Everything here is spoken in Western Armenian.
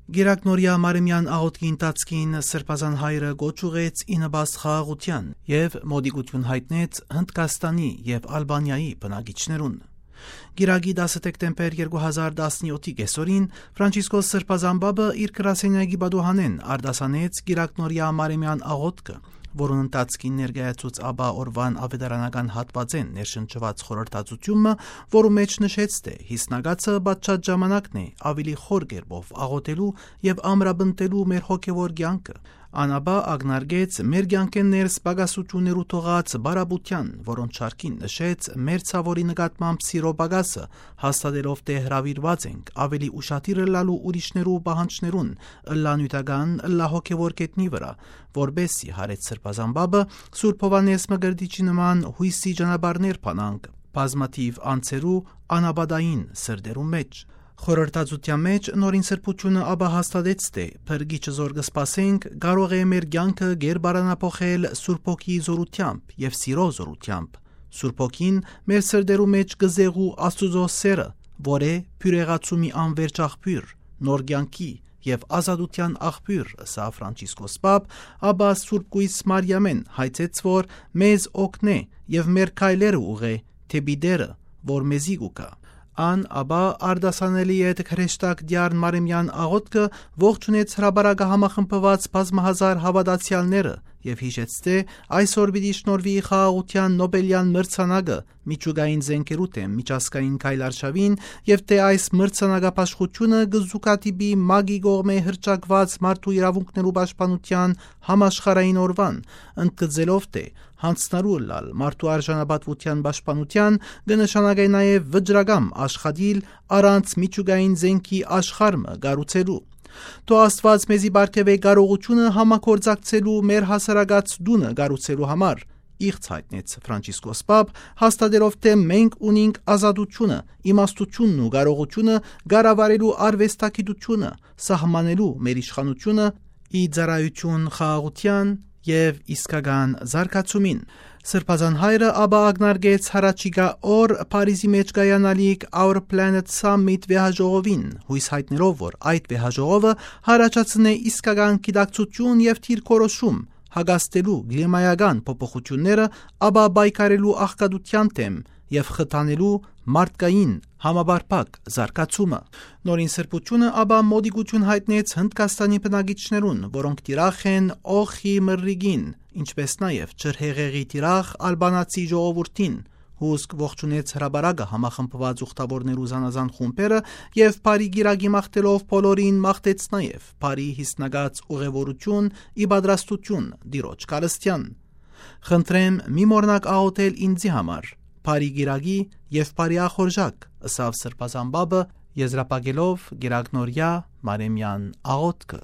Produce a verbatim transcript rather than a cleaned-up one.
Կիրակնորեայ Մարեմեան աղօթքի ընթացքին Սրբազան Հայրը կոչ ուղղեց ի նպաստ խաղաղութեան եւ մոտիկութիւն յայտնեց Հնդկաստանի եւ Ալբանիայի բնակիչներուն։ Կիրակի դասը դեկտեմբեր երկու հազար տասնեօթի կեսօրին Ֆրանցիսկոս Սրբազան Պապը իր գրասենյակի պատուհանէն արտասանեց Կիրակնորեայ Մարեմեան աղօթքը, որուն ընթացքին ներկայացուց ապա օրուան աւետարանական հատուածէն ներշնչուած խորհրդածութիւնը, որու մէջ նշեց, թէ յիսնակացը պատշաճ ժամանակն է ավելի խոր կերպով աղօթելու եւ ամրապնդելու մեր հոգեւոր կեանքը։ Ան ապա ակնարկեց մեր կեանքէն ներս պակասութիւններու թողած բարապետութեան, որոնց շարքին նշեց մեր ցաւորի նկատմամբ սիրո պակասը, հաստատելով թէ հրաւիրուած ենք ավելի ուշադիր ըլլալու ուրիշներու պահանջներուն, ըլլայ նիւթական, ըլլայ հոգեւոր գետնի վրայ, որպէս զի, յարեց Սրբազան Պապը, Սուրբ Յովհաննէս Մկրտիչի նման յոյսի ճանապարհներ բանանք բազմաթիւ անձերու անապատային սրտերու մէջ։ Խորհրդածութեան մէջ Նորին Սրբութիւնը ապա հաստատեց թէ փրկիչը, զոր կը սպասենք, կարող է մեր կեանքը կերպարանափոխել Սուրբ Հոգիի զօրութեամբ եւ սիրո զօրութեամբ։ Սուրբ Հոգին մեր սրտերու մէջ կը զեղու Աստուծոյ սէրը, որ է բիւրեղացումի անվերջ աղբիւր, նոր կեանքի եւ ազատութեան աղբիւր, ըսաւ Ֆրանցիսկոս Պապ, ապա Սուրբ Կոյս Մարիամէն հայցեց, որ մեզ օգնէ եւ մեր քայլերը ուղղէ դէպի Տէրը, որ մեզի կու գայ։ Ան ապա արտասանելէ ետք հրեշտակ Տեառն Մարեմեան աղօթքը ողջունեց հրապարակը համախմբուած բազմահազար հաւատացեալները եւ յիշեց թէ այսօր պիտի շնորհուի խաղաղութեան Նոպելեան մրցանակը միջուկային զէնքերու դէմ միջազգային քայլարշաւին եւ թէ այս մրցանակաբաշխութիւնը կը զուգադիպի ՄԱԿ-ի կողմէ հռչակուած մարդու իրաւունքներու պաշտպանութեան համաշխարհային օրուան, ընդգծելով թէ յանձնառու ըլլալ մարդու արժանապատուութեան պաշտպանութեան կը նշանակէ նաեւ վճռակամ աշխատիլ առանց միջուկային զէնքի աշխարհ մը կառուցելու։ Թող Աստուած մեզի պարգեւէ կարողութիւնը համագործակցելու մեր հասարակաց տունը կառուցելու համար, իղձ յայտնեց Ֆրանցիսկոս Պապ, հաստատելով թէ մենք ունինք ազատութիւնը, իմաստութիւնն ու կարողութիւնը կառավարելու արուեստագիտութիւնը, սահմանելու մեր իշխանութիւնը ի ծառայութիւն խաղաղութեան եւ իսկական զարգացումին։ Սրբազան Հայրը ապա ակնարկեց յառաջիկայ օր Փարիզի մէջ կայանալիք Our Planet Summit վեհաժողովին, յոյս յայտնելով, որ այդ վեհաժողովը յառաջացնէ իսկական գիտակցութիւն եւ դիրքորոշում հակազդելու կլիմայական փոփոխութիւնները, ապա պայքարելու աղքատութեան դէմ եւ խթանելու մարդկային համապարփակ զարգացումը։ Նորին Սրբութիւնը ապա մոտիկութիւն յայտնեց Հնդկաստանի բնակիչներուն, որոնք թիրախ են օղի մրրիկին, ինչպէս նաեւ ջրհեղեղի թիրախ ալբանացի ժողովուրդին, հուսկ ողջունեց հրապարակը համախմբուած ուխտաւորներու զանազան խումբերը եւ բարի կիրակի մաղթելով բոլորին, մաղթեց նաեւ բարի յիսնակաց ուղևորութիւն ի պատրաստութիւն Տիրոջ գալստեան։ «Խնդրեմ, մի մոռնաք աղօթել ինծի համար, բարի կիրակի եւ բարի ախորժակ», ըսաւ Սրբազան Պապը, եզրափակելով Կիրակնորեայ Մարեմեան աղօթքը։